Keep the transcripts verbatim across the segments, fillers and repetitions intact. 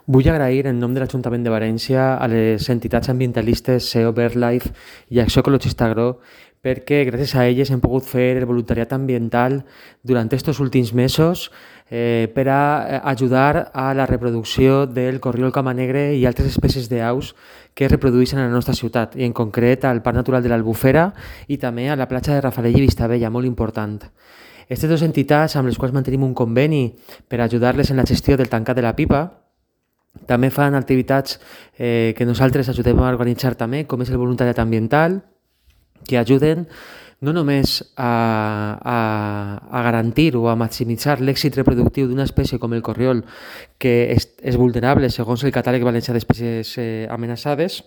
Vull agrair en nom de l'Ajuntament de València a les entitats ambientalistes S E O, BirdLife i Acció Ecologista Agro perquè gràcies a elles hem pogut fer el voluntariat ambiental durant aquests últims mesos eh, per a ajudar a la reproducció del corriol camanegre i altres espècies d'aus que es reprodueixen a la nostra ciutat, i en concret al Parc Natural de l'Albufera i també a la platja de Rafalell i Vistabella, molt important. Aquestes dues entitats amb les quals mantenim un conveni per ajudar-les en la gestió del tancat de la pipa també fan activitats eh, que nosaltres ajudem a organitzar també, com és el voluntariat ambiental, que ajuden no només a, a, a garantir o a maximitzar l'èxit reproductiu d'una espècie com el corriol, que és, és vulnerable segons el catàleg valencià d'espècies eh, amenaçades,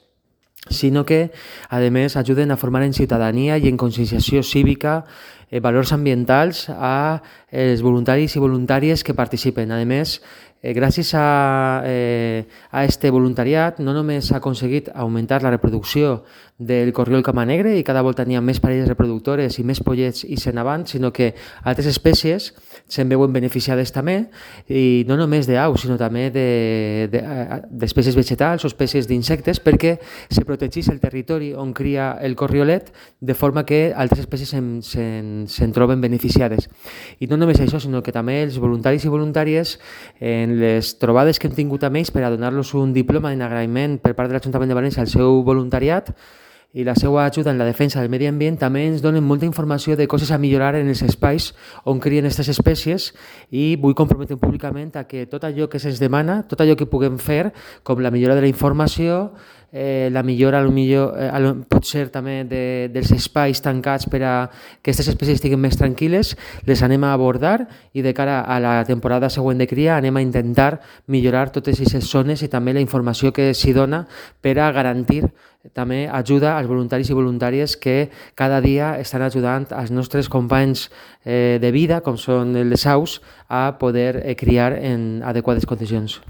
sinó que, a més, ajuden a formar en ciutadania i en conscienciació cívica eh, valors ambientals a els voluntaris i voluntàries que participen. A més, eh, gràcies a, eh, a este voluntariat, no només s'ha aconseguit augmentar la reproducció del corriol camanegre i cada volta n'hi ha més parelles reproductores i més pollets i sent avant, sinó que altres espècies se'n veuen beneficiades també, i no només d'aus, sinó també d'espècies de, de, vegetals o espècies d'insectes, perquè se protegeix el territori on cria el corriolet de forma que altres espècies se'n, se'n, se'n troben beneficiades. I no només això, sinó que també els voluntaris i voluntàries, en les trobades que hem tingut amb ells per a donar-los un diploma en agraïment per part de l'Ajuntament de València al seu voluntariat i la seva ajuda en la defensa del medi ambient, també ens donen molta informació de coses a millorar en els espais on crien aquestes espècies, i vull comprometre públicament a que tot allò que se'ns demana, tot allò que puguem fer, com la millora de la informació, eh, la millora millor, eh, potser també de, dels espais tancats per a que aquestes espècies estiguin més tranquil·les, les anem a abordar, i de cara a la temporada següent de cria anem a intentar millorar totes aquestes zones i també la informació que s'hi dona per a garantir també ajuda als voluntaris i voluntàries que cada dia estan ajudant als nostres companys eh, de vida, com són les aus, a poder eh, criar en adequades condicions.